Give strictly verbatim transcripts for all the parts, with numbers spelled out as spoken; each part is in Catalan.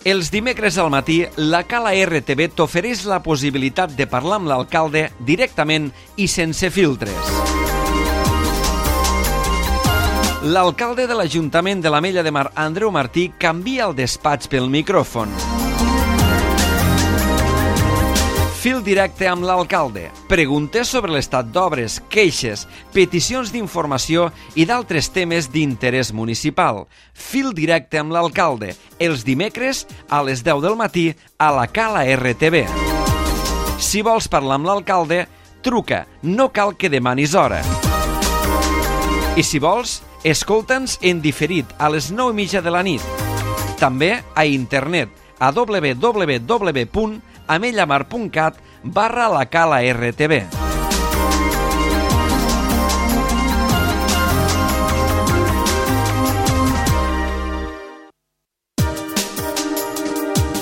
Els dimecres al matí, la Cala R T V t'ofereix la possibilitat de parlar amb l'alcalde directament i sense filtres. L'alcalde de l'Ajuntament de l'Ametlla de Mar, Andreu Martí, canvia el despatx pel micròfon. Fil directe amb l'alcalde. Preguntes sobre l'estat d'obres, queixes, peticions d'informació i d'altres temes d'interès municipal. Fil directe amb l'alcalde. Els dimecres a les deu del matí a la Cala R T V. Si vols parlar amb l'alcalde, truca. No cal que demanis hora. I si vols, escolta'ns en diferit a les nou i mitja de la nit. També a internet a w w w punt amellamar punt cat barra la Cala R T V.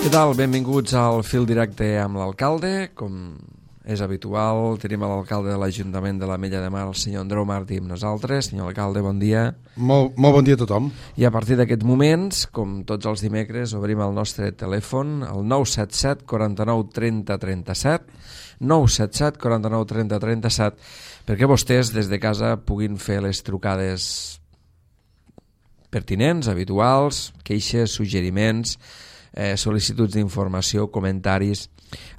Què tal? Benvinguts al Fil Directe amb l'alcalde. Com és habitual, tenim l'alcalde de l'Ajuntament de l'Ametlla de Mar, el senyor Andreu Martí, amb nosaltres. Senyor alcalde, bon dia. Molt, molt bon dia a tothom. I a partir d'aquests moments, com tots els dimecres, obrim el nostre telèfon, el nou set set, quaranta-nou, trenta, trenta-set, nou set set, quaranta-nou, trenta, trenta-set, perquè vostès des de casa puguin fer les trucades pertinents, habituals, queixes, suggeriments, eh, sol·licituds d'informació, comentaris,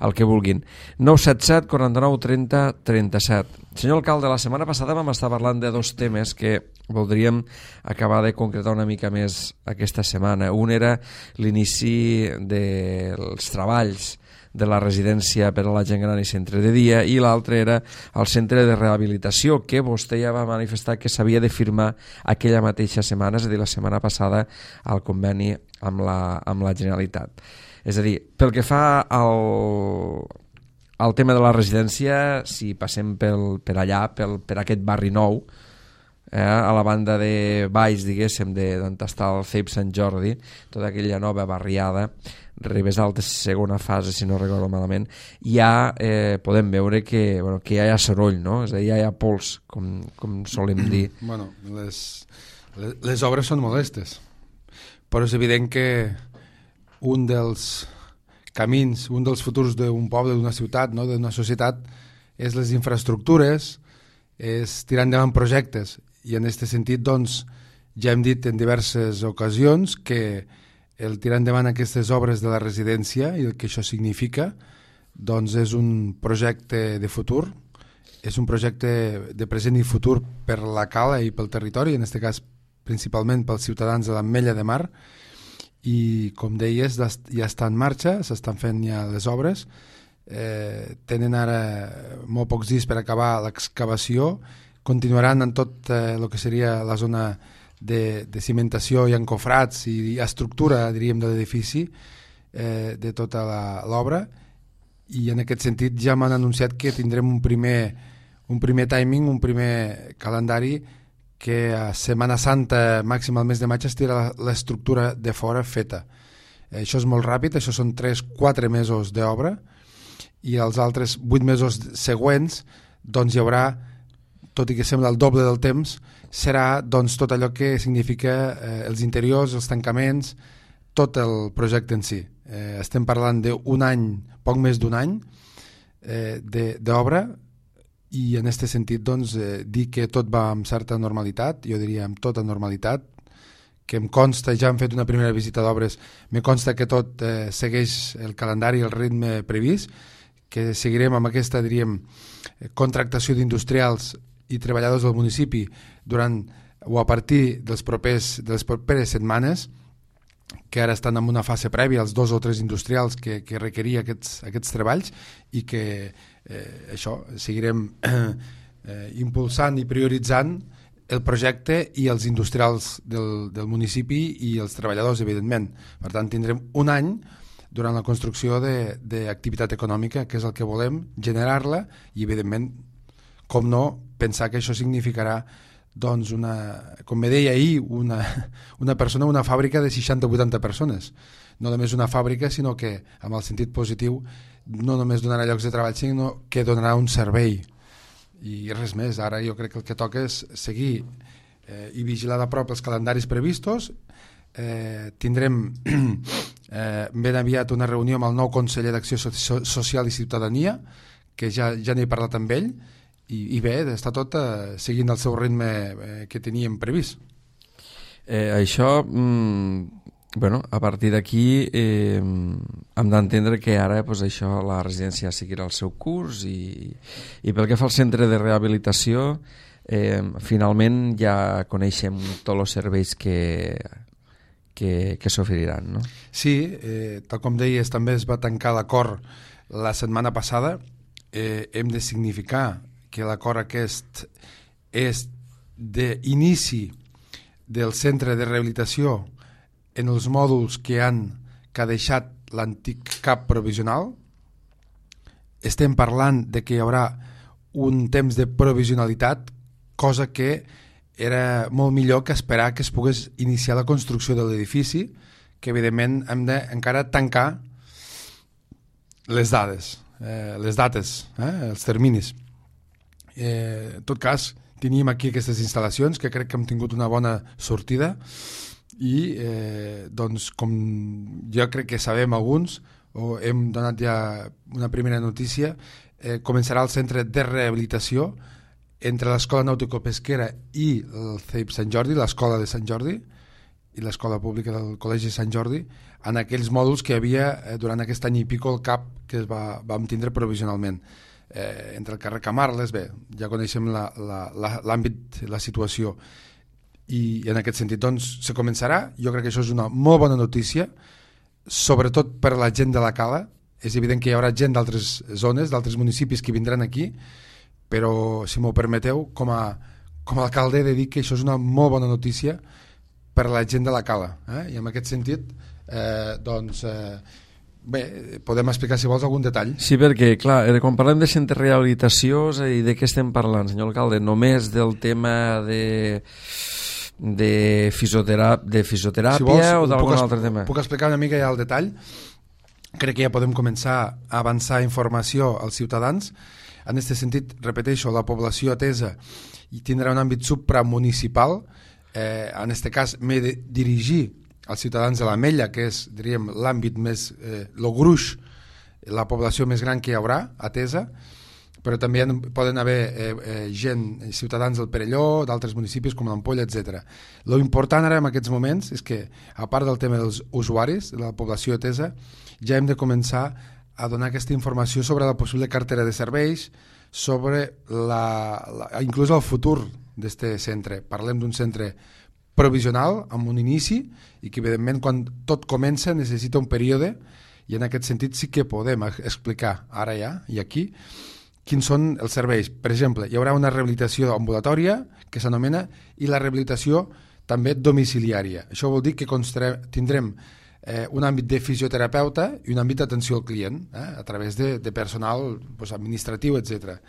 el que vulguin. nou set set, quaranta-nou, trenta, trenta-set. Senyor alcalde, la setmana passada vam estar parlant de dos temes que voldríem acabar de concretar una mica més aquesta setmana. Un era l'inici dels treballs de la residència per a la gent gran i centre de dia, i l'altre era el centre de rehabilitació, que vostè ja va manifestar que s'havia de firmar aquella mateixa setmana, és a dir, la setmana passada, al conveni amb la, amb la Generalitat. És a dir, pel que fa al, al tema de la residència, si passem pel, per allà, pel, per aquest barri nou, eh, a la banda de baix, diguéssim, d'on està el C E P Sant Jordi, tota aquella nova barriada, Ribes Altes, segona fase, si no recordo malament, ja eh, podem veure que, bueno, que ja hi ha soroll, no? És a dir, ja hi ha pols, com, com solem dir. Bueno, les, les, les obres són molestes, però és evident que un dels camins, un dels futurs d'un poble, d'una ciutat, no? D'una societat, és les infraestructures, és tirar endavant projectes, i en aquest sentit, doncs, ja hem dit en diverses ocasions que el tirar endavant aquestes obres de la residència i el que això significa, doncs és un projecte de futur, és un projecte de present i futur per la Cala i pel territori, en aquest cas principalment pels ciutadans de l'Ametlla de Mar, i com deies, ja està en marxa, s'estan fent ja les obres, eh, tenen ara molt pocs dies per acabar l'excavació, continuaran en tot eh, el que seria la zona de, de cimentació i encofrats i estructura, diríem, de l'edifici, eh, de tota l'obra, i en aquest sentit ja m'han anunciat que tindrem un primer, un primer timing, un primer calendari, que a Setmana Santa, màxim al mes de maig, estirà l'estructura de fora feta. Això és molt ràpid, això són tres quatre mesos d'obra, i els altres vuit mesos següents doncs hi haurà, tot i que sembla el doble del temps, serà doncs tot allò que significa eh, els interiors, els tancaments, tot el projecte en si. Eh, estem parlant d'un any, poc més d'un any eh, d'obra, i en aquest sentit doncs, eh, dir que tot va amb certa normalitat, jo diria amb tota normalitat, que em consta, ja hem fet una primera visita d'obres, me consta que tot eh, segueix el calendari i el ritme previst, que seguirem amb aquesta, diríem, contractació d'industrials i treballadors del municipi durant o a partir dels propers, de les properes setmanes, que ara estan en una fase prèvia, els dos o tres industrials que, que requeria aquests, aquests treballs, i que eh, això, seguirem eh, impulsant i prioritzant el projecte i els industrials del, del municipi i els treballadors, evidentment. Per tant, tindrem un any durant la construcció d'activitat econòmica, que és el que volem, generar-la, i evidentment, com no, pensar que això significarà, doncs, una, com me deia ahir, una, una persona, una fàbrica de seixanta o vuitanta persones. No només una fàbrica, sinó que, amb el sentit positiu, no només donarà llocs de treball, sinó que donarà un servei. I res més, ara jo crec que el que toca és seguir eh, i vigilar de prop els calendaris previstos. Eh, tindrem eh, ben aviat una reunió amb el nou conseller d'Acció Social i Ciutadania, que ja, ja n'he parlat amb ell, i, i bé, està tot eh, seguint el seu ritme eh, que teníem previst. Eh, això, mm, bueno, a partir d'aquí eh, hem d'entendre que ara pues, això, la residència seguirà el seu curs i, i pel que fa al centre de rehabilitació, eh, finalment ja coneixem tots els serveis que, que, que s'oferiran, no? Sí, eh, tal com deies, també es va tancar l'acord la setmana passada. Eh, hem de significar que l'acord aquest és d'inici del centre de rehabilitació en els mòduls que han que ha deixat l'antic cap provisional. Estem parlant de que hi haurà un temps de provisionalitat, cosa que era molt millor que esperar que es pogués iniciar la construcció de l'edifici, que evidentment hem de encara tancar les dades, eh, les dates, eh, els terminis. Eh, en tot cas, teníem aquí aquestes instal·lacions que crec que hem tingut una bona sortida i eh, doncs com jo crec que sabem alguns o hem donat ja una primera notícia, eh, començarà el centre de rehabilitació entre l'Escola Nàutico-Pesquera i el C E I P Sant Jordi, l'Escola de Sant Jordi i l'Escola Pública del Col·legi Sant Jordi, en aquells mòduls que hi havia eh, durant aquest any i pico el CAP que es va, vam tindre provisionalment. Eh, entre el carrer Camarles, bé, ja coneixem la, la, la, l'àmbit, la situació, i en aquest sentit doncs se començarà. Jo crec que això és una molt bona notícia, sobretot per la gent de la Cala. És evident que hi haurà gent d'altres zones, d'altres municipis que vindran aquí, però si m'ho permeteu, com a, com a alcalde he de dir que això és una molt bona notícia per la gent de la Cala, eh? I en aquest sentit eh, doncs eh, bé, podem explicar si vols algun detall. Sí, perquè clar, quan parlem de centre de rehabilitació, i de què estem parlant, senyor alcalde? Només del tema de de, fisioterà- de fisioteràpia si vols, o d'algun altre tema? Puc explicar una mica ja el detall. Crec que ja podem començar a avançar informació als ciutadans. En aquest sentit, repeteixo, la població atesa i tindrà un àmbit supramunicipal. Eh, en aquest cas m'he de dirigir als ciutadans de l'Ametlla, que és, diríem, l'àmbit més, eh, el gruix, la població més gran que hi haurà atesa, però també hi poden haver eh, eh, gent, ciutadans del Perelló, d'altres municipis com l'Ampolla, etcètera. Lo important ara en aquests moments és que, a part del tema dels usuaris, de la població atesa, ja hem de començar a donar aquesta informació sobre la possible cartera de serveis, sobre la, la, inclús el futur d'aquest centre. Parlem d'un centre provisional, amb un inici, i que evidentment quan tot comença necessita un període, i en aquest sentit sí que podem explicar ara ja i aquí quins són els serveis. Per exemple, hi haurà una rehabilitació ambulatòria que s'anomena, i la rehabilitació també domiciliària. Això vol dir que tindrem eh, un àmbit de fisioterapeuta i un àmbit d'atenció al client, eh, a través de, de personal pues, administratiu, etcètera.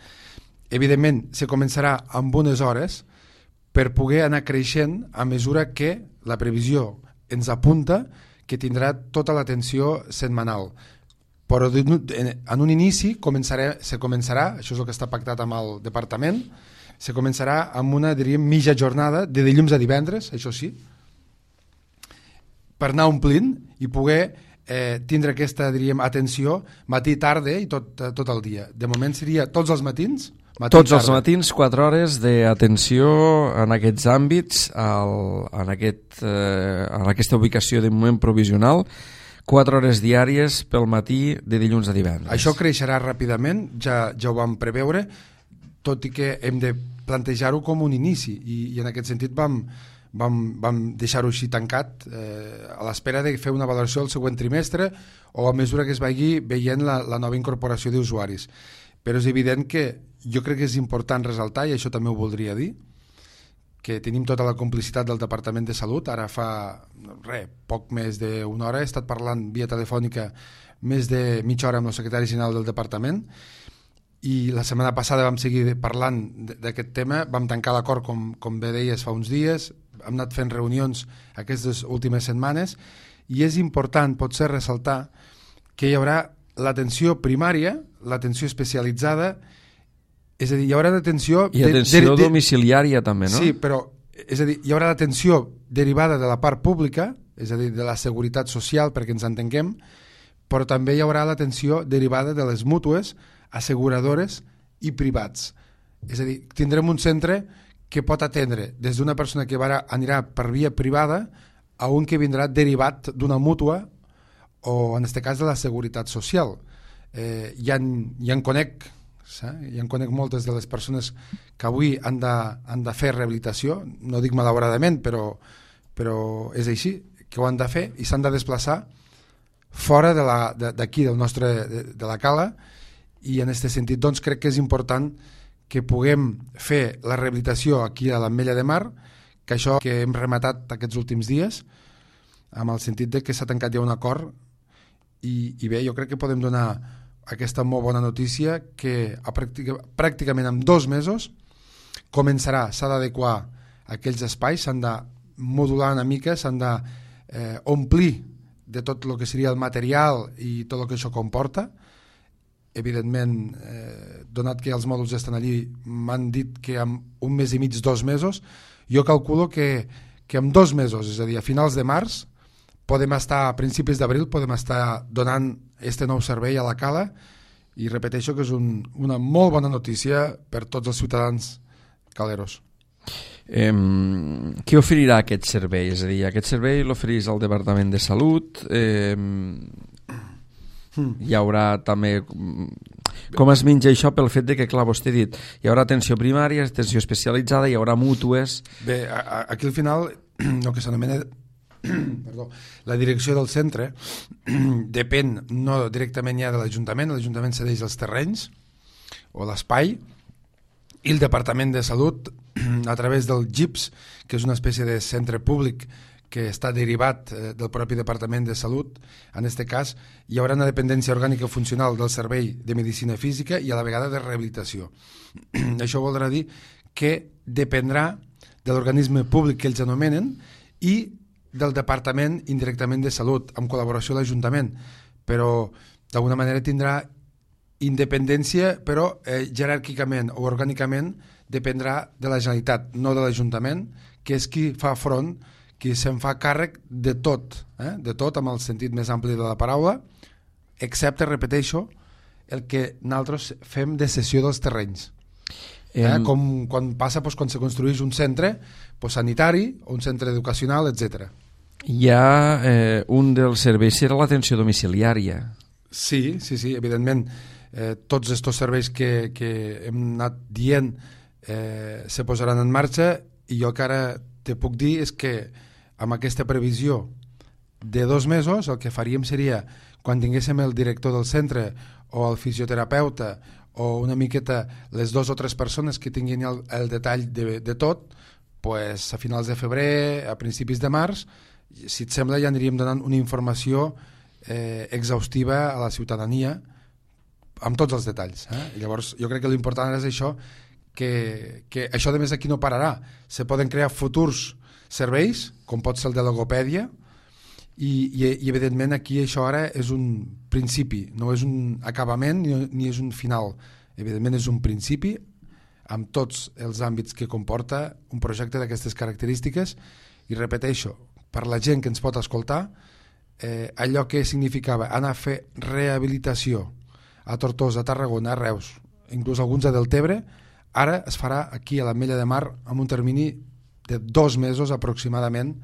Evidentment, se començarà amb unes hores per poder anar creixent a mesura que la previsió ens apunta que tindrà tota l'atenció setmanal. Però en un inici començarà, se començarà, això és el que està pactat amb el departament, se començarà amb una, diríem, mitja jornada de dilluns a divendres, això sí, per anar omplint i poder eh, tindre aquesta, diríem, atenció matí, tarda i tot, tot el dia. De moment seria tots els matins, matí, tots tarda. Els matins, quatre hores d'atenció en aquests àmbits, al, en, aquest, eh, en aquesta ubicació de moment provisional, quatre hores diàries pel matí de dilluns a divendres. Això creixerà ràpidament, ja, ja ho vam preveure, tot i que hem de plantejar-ho com un inici, i, i en aquest sentit vam, vam, vam deixar-ho així tancat eh, a l'espera de fer una valoració el següent trimestre o a mesura que es vagi veient la, la nova incorporació d'usuaris. Però és evident que jo crec que és important resaltar, i això també ho voldria dir, que tenim tota la complicitat del Departament de Salut. Ara fa re, poc més d'una hora he estat parlant via telefònica més de mitja hora amb el secretari general del departament, i la setmana passada vam seguir parlant d'aquest tema, vam tancar l'acord com, com bé deies fa uns dies, hem anat fent reunions aquestes últimes setmanes, i és important potser ressaltar que hi haurà l'atenció primària, l'atenció especialitzada, és a dir, hi haurà d'atenció... I atenció de, de, domiciliària també, no? Sí, però és a dir, hi haurà l'atenció derivada de la part pública, és a dir, de la seguretat social, perquè ens entenguem, però també hi haurà l'atenció derivada de les mútues, asseguradores i privats. És a dir, tindrem un centre que pot atendre des d'una persona que va, anirà per via privada a un que vindrà derivat d'una mútua o, en aquest cas, de la seguretat social. Eh, ja, en, ja en conec, eh? ja en conec moltes de les persones que avui han de, han de fer rehabilitació, no dic malauradament, però, però és així, que ho han de fer i s'han de desplaçar fora de la, d'aquí, del nostre, de, de la cala, i en aquest sentit doncs, crec que és important que puguem fer la rehabilitació aquí a l'Ametlla de Mar, que això que hem rematat aquests últims dies, amb el sentit de que s'ha tancat ja un acord, i, i bé, jo crec que podem donar aquesta molt bona notícia que a pràctica, pràcticament en dos mesos començarà, s'ha d'adequar aquells espais, s'han de modular una mica, s'han de eh, omplir de tot el que seria el material i tot el que això comporta. Evidentment, eh, donat que els mòduls estan allí, m'han dit que en un mes i mig, dos mesos, jo calculo que, que en dos mesos, és a dir, a finals de març, podem estar, a principis d'abril, podem estar donant este nou servei a la cala, i repeteixo que és un, una molt bona notícia per tots els ciutadans caleros. Eh, qui oferirà aquest servei? És a dir, aquest servei l'oferís al Departament de Salut, eh, hi haurà també... Com es menja això pel fet de que, clar, vostè ha dit, hi haurà atenció primària, atenció especialitzada, hi haurà mútues... Bé, aquí al final, el que s'anomena perdó, la direcció del centre depèn no directament ja de l'Ajuntament, l'Ajuntament cedeix els terrenys o l'espai, i el Departament de Salut, a través del G I P S, que és una espècie de centre públic que està derivat eh, del propi Departament de Salut, en aquest cas hi haurà una dependència orgànica funcional del Servei de Medicina Física i a la vegada de rehabilitació. Això voldrà dir que dependrà de l'organisme públic que ells anomenen i del Departament indirectament de Salut, amb col·laboració de l'Ajuntament, però d'alguna manera tindrà independència, però eh, jeràrquicament o orgànicament dependrà de la Generalitat, no de l'Ajuntament, que és qui fa front, qui se'n fa càrrec de tot, eh? de tot amb el sentit més ampli de la paraula, excepte, repeteixo, el que nosaltres fem de cessió dels terrenys. Eh? Eh, com quan passa doncs, quan se construeix un centre doncs, sanitari o un centre educacional, etcètera. Hi ha eh, un dels serveis, serà l'atenció domiciliària. Sí, sí, sí, evidentment. Eh, tots aquests serveis que, que hem anat dient eh, se posaran en marxa, i jo que ara te puc dir és que amb aquesta previsió de dos mesos el que faríem seria, quan tinguéssim el director del centre o el fisioterapeuta o una miqueta les dues o tres persones que tinguin el, el detall de, de tot, pues a finals de febrer, a principis de març, si et sembla ja aniríem donant una informació eh, exhaustiva a la ciutadania amb tots els detalls. Eh? I llavors jo crec que l'important és això, que, que això de més aquí no pararà. Se poden crear futurs serveis, com pot ser el de logopèdia, i, i, i evidentment aquí això ara és un principi, no és un acabament ni, ni és un final. Evidentment és un principi amb tots els àmbits que comporta un projecte d'aquestes característiques, i repeteixo, per la gent que ens pot escoltar, eh, allò que significava anar a fer rehabilitació a Tortosa, a Tarragona, a Reus, inclús alguns a Deltebre, ara es farà aquí a l'Ametlla de Mar amb un termini de dos mesos aproximadament,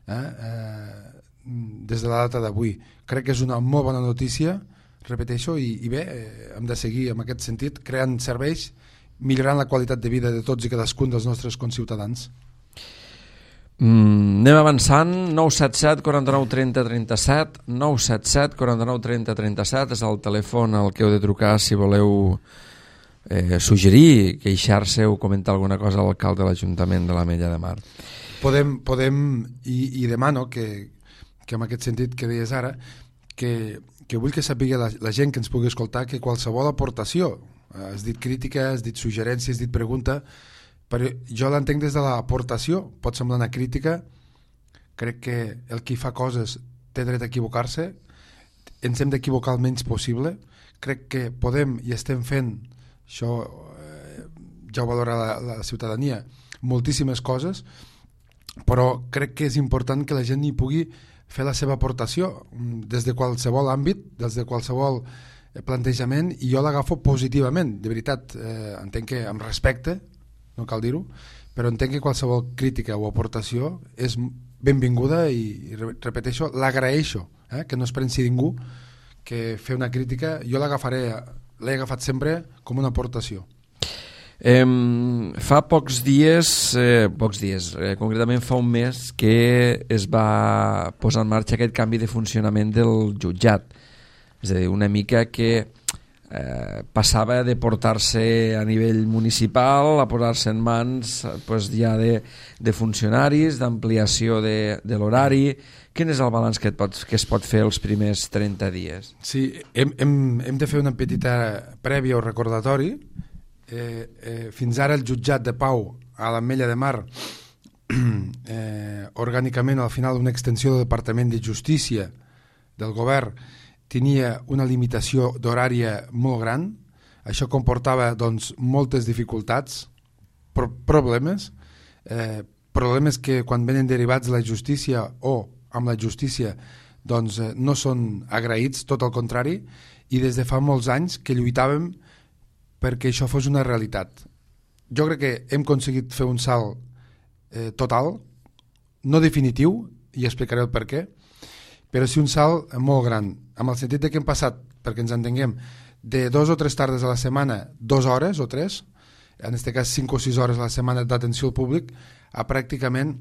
eh, eh, des de la data d'avui. Crec que és una molt bona notícia, repeteixo, i, i bé, eh, hem de seguir en aquest sentit, creant serveis, millorant la qualitat de vida de tots i cadascun dels nostres conciutadans. Mm, anem avançant. Nou set set, quaranta-nou, trenta, trenta-set, nou set set, quaranta-nou, trenta, trenta-set és el telèfon al que heu de trucar si voleu eh, suggerir, queixar-se o comentar alguna cosa a l'alcalde de l'Ajuntament de l'Ametlla de Mar. Podem, podem i, i demano que, que en aquest sentit que deies ara, que, que vull que sàpiga la, la gent que ens pugui escoltar que qualsevol aportació, has dit crítica, has dit suggerència, has dit pregunta, però jo l'entenc des de l'aportació, pot semblar una crítica, crec que el qui fa coses té dret a equivocar-se, ens hem d'equivocar el menys possible, crec que podem i estem fent, això eh, ja ho valora la, la ciutadania, moltíssimes coses, però crec que és important que la gent hi pugui fer la seva aportació des de qualsevol àmbit, des de qualsevol plantejament, i jo l'agafo positivament, de veritat. Eh, entenc que amb respecte, no cal dir-ho, però entenc que qualsevol crítica o aportació és benvinguda i, repeteixo, l'agraeixo, eh, que no es pensi ningú que fer una crítica, jo l'agafaré, l'he agafat sempre com una aportació. Eh, fa pocs dies, eh, pocs dies, eh, concretament fa un mes que es va posar en marxa aquest canvi de funcionament del jutjat. És a dir, una mica que eh, passava de portar-se a nivell municipal a posar-se en mans pues, ja de, de funcionaris, d'ampliació de, de l'horari. Quin és el balanç que, et pot, que es pot fer els primers trenta dies? Sí, hem, hem, hem de fer una petita prèvia o recordatori. Eh, eh, fins ara el jutjat de Pau a l'Ametlla de Mar eh, orgànicament al final una extensió del Departament de Justícia del govern tenia una limitació d'horària molt gran. Això comportava doncs, moltes dificultats, pro problemes eh, problemes que quan venen derivats de la justícia o amb la justícia doncs, eh, no són agraïts, tot el contrari, i des de fa molts anys que lluitàvem perquè això fos una realitat. Jo crec que hem aconseguit fer un salt eh, total, no definitiu, i explicaré el per què, però sí un salt molt gran, amb el sentit de que hem passat, perquè ens entenguem, de dos o tres tardes a la setmana, dues hores o tres, en aquest cas cinc o sis hores a la setmana d'atenció al públic, a pràcticament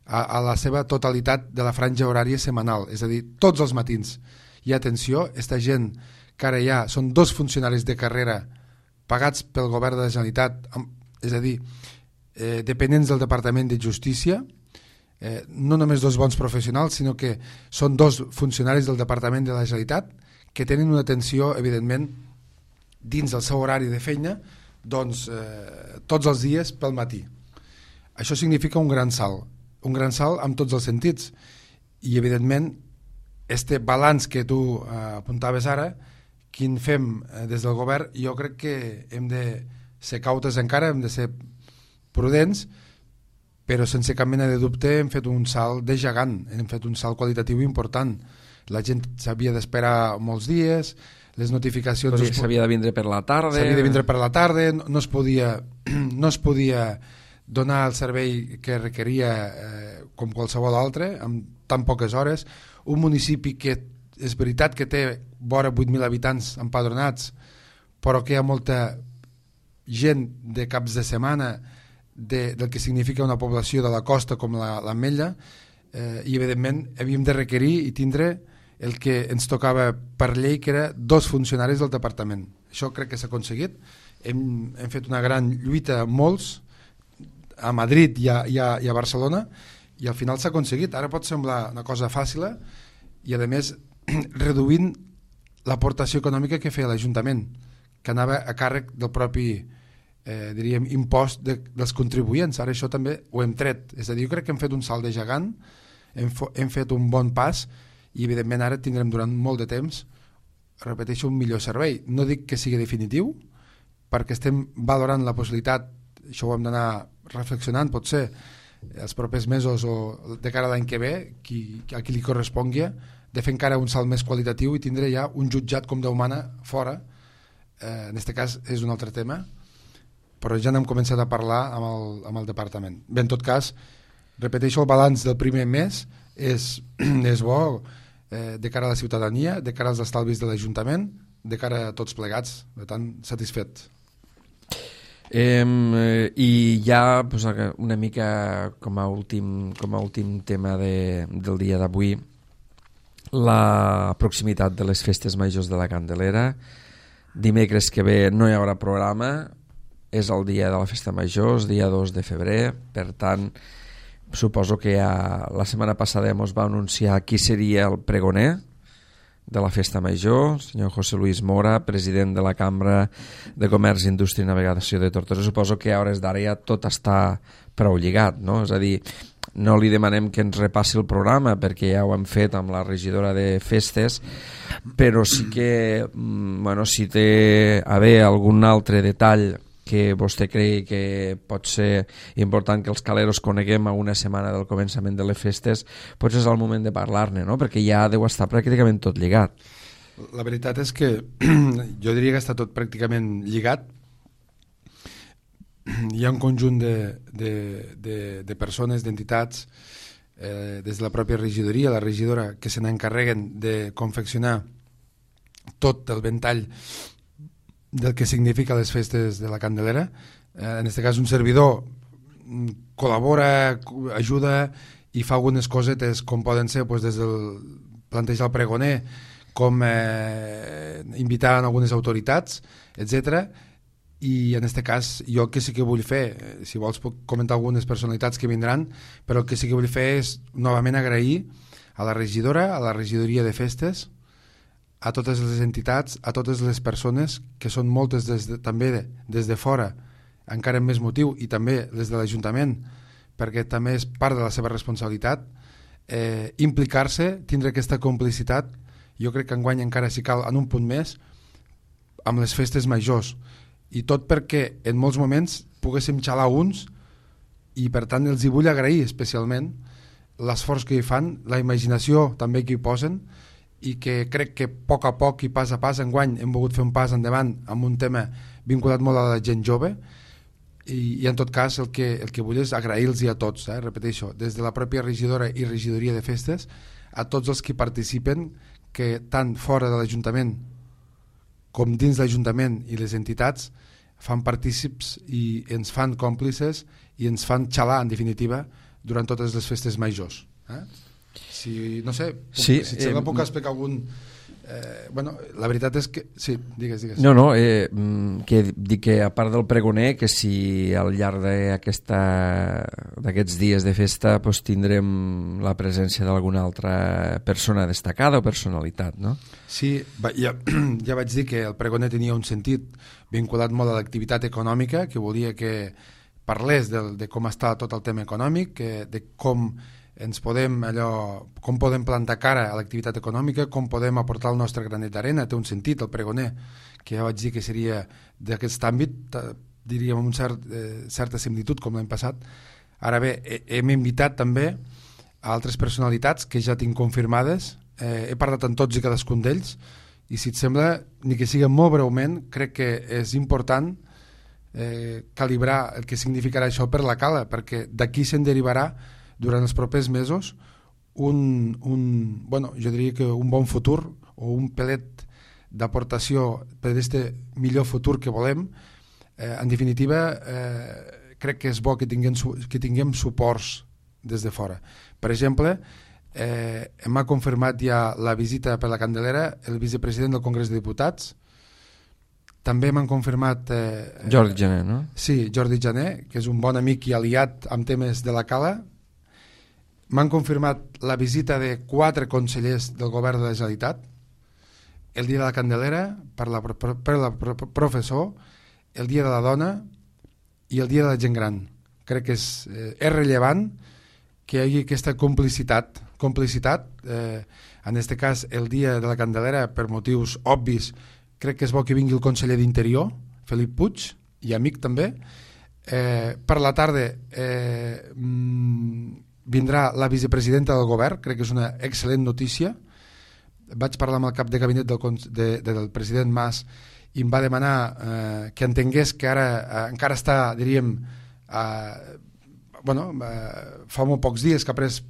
a, a la seva totalitat de la franja horària setmanal, és a dir, tots els matins hi ha atenció. Esta gent que ara ja són dos funcionaris de carrera pagats pel govern de la Generalitat, és a dir, eh, dependents del Departament de Justícia, eh, no només dos bons professionals, sinó que són dos funcionaris del Departament de la Generalitat que tenen una atenció, evidentment, dins del seu horari de feina, doncs, eh, tots els dies pel matí. Això significa un gran salt, un gran salt en tots els sentits, i evidentment, este balanç que tu eh, apuntaves ara, quin fem des del govern, jo crec que hem de ser cautes encara, hem de ser prudents, però sense cap mena de dubte hem fet un salt de gegant, hem fet un salt qualitatiu important. La gent s'havia d'esperar molts dies, les notificacions... S'havia de vindre per la tarda... S'havia de vindre per la tarda, no es podia, no es podia donar el servei que requeria eh, com qualsevol altre, amb tan poques hores. Un municipi que és veritat que té vora vuit mil habitants empadronats, però que hi ha molta gent de caps de setmana de, del que significa una població de la costa com l'Ametlla, eh, i evidentment havíem de requerir i tindre el que ens tocava per llei, que era dos funcionaris del departament. Això crec que s'ha aconseguit. Hem, hem fet una gran lluita, molts, a Madrid i a, i a, i a Barcelona, i al final s'ha aconseguit. Ara pot semblar una cosa fàcil, i a més reduint l'aportació econòmica que feia l'Ajuntament, que anava a càrrec del propi eh, diríem, impost de, dels contribuents. Ara això també ho hem tret. És a dir, jo crec que hem fet un salt de gegant, hem, hem fet un bon pas, i evidentment ara tindrem durant molt de temps, repeteixo, un millor servei. No dic que sigui definitiu, perquè estem valorant la possibilitat, això ho hem d'anar reflexionant, potser els propers mesos o de cara a l'any que ve, qui, a qui li correspongui, de fer encara un salt més qualitatiu i tindre ja un jutjat com Déu mana fora. Eh, en aquest cas és un altre tema, però ja n'hem començat a parlar amb el, amb el departament. Bé, en tot cas, repeteixo, el balanç del primer mes és, és bo eh, de cara a la ciutadania, de cara als estalvis de l'Ajuntament, de cara a tots plegats, per tant, satisfet. Eh, I ja pues, una mica com a últim, com a últim tema de, del dia d'avui, la proximitat de les festes majors de la Candelera. Dimecres que ve no hi haurà programa, és el dia de la festa major, és dia dos de febrer, per tant suposo que ja la setmana passada ens va anunciar qui seria el pregoner de la festa major, senyor José Luis Mora, president de la Cambra de Comerç, Indústria i Navegació de Tortosa. Suposo que a hores d'ara ja tot està prou lligat, no? És a dir, no li demanem que ens repassi el programa perquè ja ho hem fet amb la regidora de festes, però sí que bueno, si té a bé algun altre detall que vostè cregui que pot ser important que els caleros coneguem a una setmana del començament de les festes, potser és el moment de parlar-ne, no? Perquè ja deu estar pràcticament tot lligat. La veritat és que jo diria que està tot pràcticament lligat. Hi ha un conjunt de, de, de, de persones, d'entitats, eh, des de la pròpia regidoria, la regidora, que se n'encarreguen de confeccionar tot el ventall del que significa les festes de la Candelera. Eh, en aquest cas un servidor col·labora, ajuda i fa algunes cosetes com poden ser doncs, des del plantejar el pregoner, com eh, invitar a algunes autoritats, etcètera. I en aquest cas jo el que sí que vull fer, si vols puc comentar algunes personalitats que vindran, però el que sí que vull fer és novament agrair a la regidora, a la regidoria de festes, a totes les entitats, a totes les persones, que són moltes des de, també de, des de fora, encara amb més motiu, i també les de l'Ajuntament, perquè també és part de la seva responsabilitat, eh, implicar-se, tindre aquesta complicitat, jo crec que enguany encara si cal en un punt més, amb les festes majors, i tot perquè en molts moments poguéssim xalar uns, i per tant els hi vull agrair especialment l'esforç que hi fan, la imaginació també que hi posen, i que crec que a poc a poc i pas a pas enguany hem volgut fer un pas endavant amb un tema vinculat molt a la gent jove, i, i en tot cas el que, el que vull és agrair-los a tots, eh? Repeteixo, des de la pròpia regidora i regidoria de festes, a tots els que participen, que tant fora de l'Ajuntament com dins l'Ajuntament i les entitats fan partícips i ens fan còmplices i ens fan xalar, en definitiva, durant totes les festes majors. Eh? Si, no sé, puc, sí, si et sembla eh, puc explicar algun... Eh, bueno, la veritat és que... Sí, digues, digues. No, no, eh, que dic que a part del pregoner, que si al llarg d'aquests dies de festa pues, tindrem la presència d'alguna altra persona destacada o personalitat, no? Sí, ja, ja vaig dir que el pregoner tenia un sentit vinculat molt a l'activitat econòmica, que volia que parlés de, de com està tot el tema econòmic, que, de com ens podem allò, com podem plantar cara a l'activitat econòmica, com podem aportar el nostre granet d'arena. Té un sentit el pregoner, que ja vaig dir que seria d'aquest àmbit, diríem amb una cert, eh, certa similitud com l'any passat. Ara bé, hem invitat també a altres personalitats que ja tinc confirmades, eh, he parlat amb tots i cadascun d'ells, i si et sembla, ni que sigui molt breument, crec que és important eh, calibrar el que significarà això per la cala, perquè d'aquí se'n derivarà durant els propers mesos un, un, bueno, jo diria que un bon futur o un pelet d'aportació per aquest millor futur que volem. Eh, en definitiva, eh, crec que és bo que tinguem, que tinguem suports des de fora. Per exemple, eh, m'ha confirmat ja la visita per la Candelera el vicepresident del Congrés de Diputats. També m'han confirmat... Eh, Jordi Jané, no? Sí, Jordi Jané, que és un bon amic i aliat amb temes de la cala. M'han confirmat la visita de quatre consellers del govern de la Generalitat, el dia de la Candelera, per la, per la professor, el dia de la dona i el dia de la gent gran. Crec que és, eh, és rellevant que hi hagi aquesta complicitat, complicitat eh, en aquest cas el dia de la Candelera, per motius obvis, crec que és bo que vingui el conseller d'Interior, Felip Puig, i amic també. Eh, per la tarda eh, vindrà la vicepresidenta del govern, crec que és una excel·lent notícia. Vaig parlar amb el cap de gabinet del, de, de, del president Mas i em va demanar eh, que entengués que ara eh, encara està, diríem, eh, bueno, eh, fa molt pocs dies que ha pres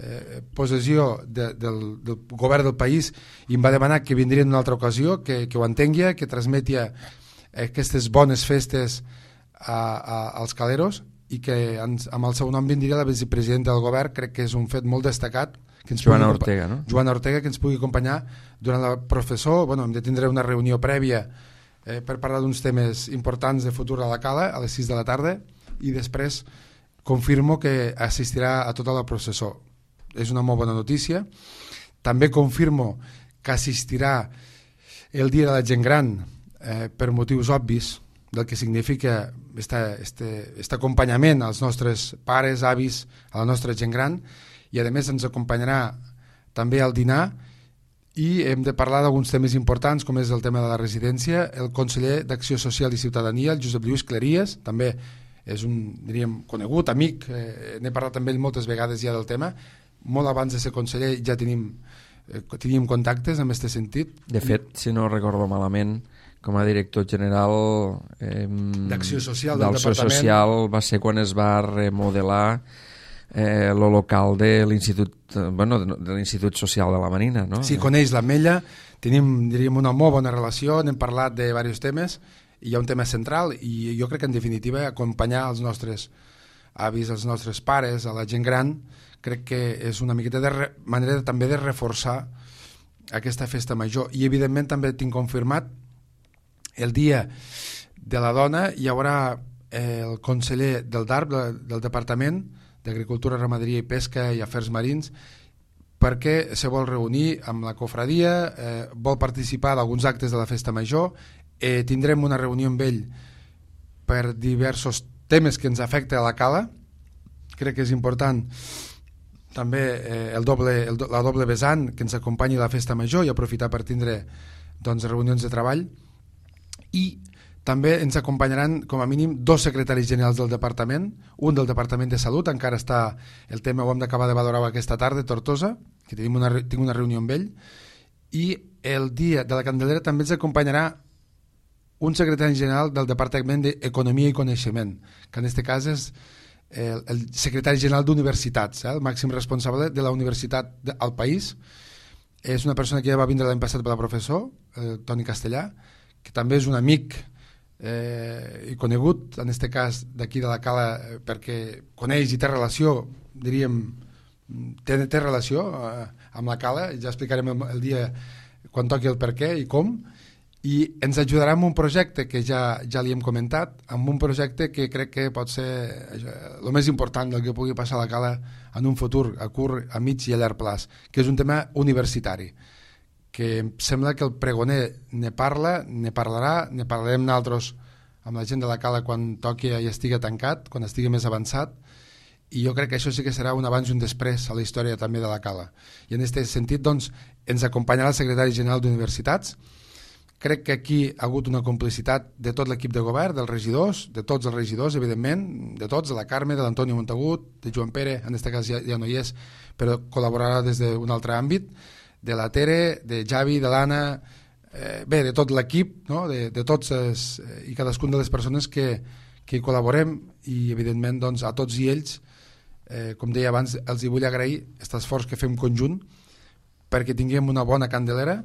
eh, possessió de, del, del govern del país, i em va demanar que vindria en una altra ocasió, que, que ho entengui, que transmeti aquestes bones festes a, a, als caleros, i que ens, amb el seu nom vindria la vicepresidenta del govern. Crec que és un fet molt destacat, que ens Joana Ortega, no? Joana Ortega, que ens pugui acompanyar durant la professor. Bueno, hem de tindre una reunió prèvia eh, per parlar d'uns temes importants de futur a la cala a les sis de la tarda, i després confirmo que assistirà a tota la processó. És una molt bona notícia. També confirmo que assistirà el dia de la gent gran, eh, per motius obvis del que significa este, este, este acompanyament als nostres pares, avis, a la nostra gent gran, i a més ens acompanyarà també al dinar, i hem de parlar d'alguns temes importants, com és el tema de la residència. El conseller d'Acció Social i Ciutadania, el Josep Lluís Cleries, també és un, diríem, conegut, amic, eh, n'he parlat amb ell moltes vegades ja del tema. Molt abans de ser conseller ja tenim, eh, teníem contactes en aquest sentit. De fet, si no recordo malament, com a director general eh, d'Acció Social del d'Acció Social va ser quan es va remodelar eh, el local de l'Institut bueno, de l'Institut Social de la Marina, no? Sí, coneix l'Ametlla, tenim, diríem, una molt bona relació, n'hem parlat de diversos temes, i hi ha un tema central, i jo crec que en definitiva acompanyar els nostres avis, els nostres pares, a la gent gran, crec que és una miqueta de re, manera de, també de reforçar aquesta festa major. I evidentment també tinc confirmat el dia de la dona hi haurà eh, el conseller del D A R P, de, del Departament d'Agricultura, Ramaderia i Pesca i Afers Marins, perquè se vol reunir amb la cofradia, eh, vol participar d'alguns actes de la festa major, eh, tindrem una reunió amb ell per diversos temes que ens afecta a la cala. Crec que és important també eh, el doble, el, la doble vessant que ens acompanyi a la festa major i aprofitar per tindre doncs, reunions de treball. I també ens acompanyaran com a mínim dos secretaris generals del departament, un del Departament de Salut, encara està el tema, ho hem d'acabar de valorar aquesta tarda, Tortosa, que tenim una, tinc una reunió amb ell, i el dia de la Candelera també ens acompanyarà un secretari general del Departament d'Economia i Coneixement, que en aquest cas és el, el secretari general d'Universitats, eh, el màxim responsable de la universitat de, al país. És una persona que ja va vindre l'any passat per la professor, eh, Toni Castellà, que també és un amic eh, i conegut, en aquest cas d'aquí de la Cala, eh, perquè coneix i té relació, diríem, té, té relació eh, amb la Cala, ja explicarem el, el dia quan toqui el per què i com, i ens ajudarà amb un projecte que ja, ja li hem comentat, amb un projecte que crec que pot ser el més important del que pugui passar a la Cala en un futur, a curt, a mig i a llarg plaç, que és un tema universitari, que em sembla que el pregoner ne parla, ne parlarà, ne parlarem nosaltres amb la gent de la Cala quan toqui i estigui tancat, quan estigui més avançat, i jo crec que això sí que serà un abans i un després a la història també de la Cala. I en aquest sentit doncs, ens acompanyarà el secretari general d'Universitats. Crec que aquí ha hagut una complicitat de tot l'equip de govern, dels regidors, de tots els regidors, evidentment, de tots, de la Carme, de l'Antonio Montagut, de Joan Pere, en aquest cas ja, ja no hi és, però col·laborarà des d'un altre àmbit, de la Tere, de Javi, de l'Anna, eh, bé, de tot l'equip, no? de, de tots els, eh, i cadascun de les persones que, que hi col·laborem, i evidentment doncs, a tots i ells, eh, com deia abans, els hi vull agrair aquest esforç que fem conjunt perquè tinguem una bona Candelera,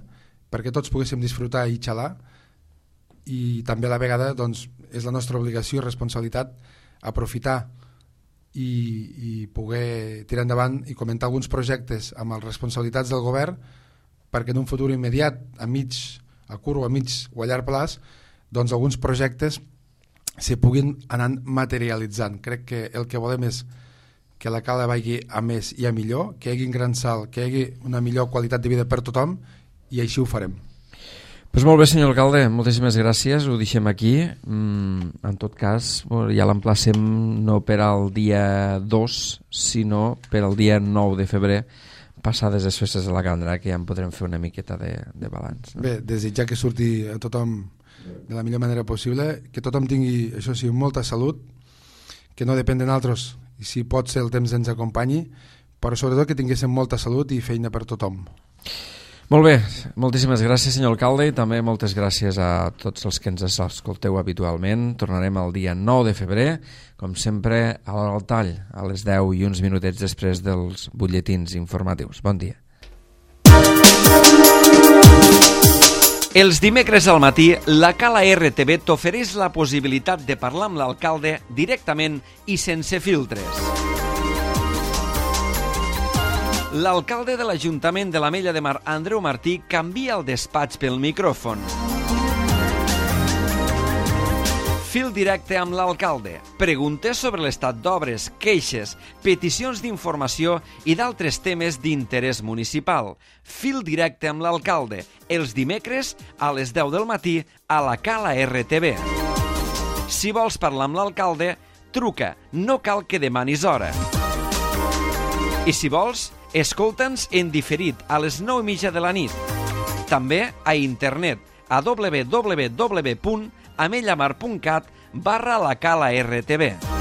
perquè tots poguéssim disfrutar i xalar, i també a la vegada doncs, és la nostra obligació i responsabilitat aprofitar i, i poder tirar endavant i comentar alguns projectes amb les responsabilitats del govern perquè en un futur immediat, a mig, a curt o a mig o a llarg plaç, doncs alguns projectes se puguin anar materialitzant. Crec que el que volem és que la Cala vagi a més i a millor, que hi hagi un gran salt, que hi hagi una millor qualitat de vida per tothom, i així ho farem. Pues molt bé, senyor alcalde, moltíssimes gràcies, ho deixem aquí. Mm, en tot cas, ja l'emplacem no per al dia dos, sinó per al dia nou de febrer, passades les festes de la Candra, que ja en podrem fer una miqueta de, de balanç. No? Bé, desitjar que surti a tothom de la millor manera possible, que tothom tingui, això sí, molta salut, que no depèn de nosaltres, i si pot ser el temps ens acompanyi, però sobretot que tinguéssim molta salut i feina per tothom. Molt bé, moltíssimes gràcies, senyor alcalde, i també moltes gràcies a tots els que ens escolteu habitualment. Tornarem el dia nou de febrer, com sempre, a l'hora del tall, a les deu i uns minutets després dels butlletins informatius. Bon dia. Els dimecres al matí, la Cala R T V t'ofereix la possibilitat de parlar amb l'alcalde directament i sense filtres. L'alcalde de l'Ajuntament de l'Ametlla de Mar, Andreu Martí, canvia el despatx pel micròfon. Fil directe amb l'alcalde. Preguntes sobre l'estat d'obres, queixes, peticions d'informació i d'altres temes d'interès municipal. Fil directe amb l'alcalde. Els dimecres a les deu del matí a la Cala R T V. Si vols parlar amb l'alcalde, truca. No cal que demanis hora. I si vols, Escolta'ns en diferit a les nou i mitja de la nit. També a internet a w w w punt amellamar punt cat barra la cala R T V.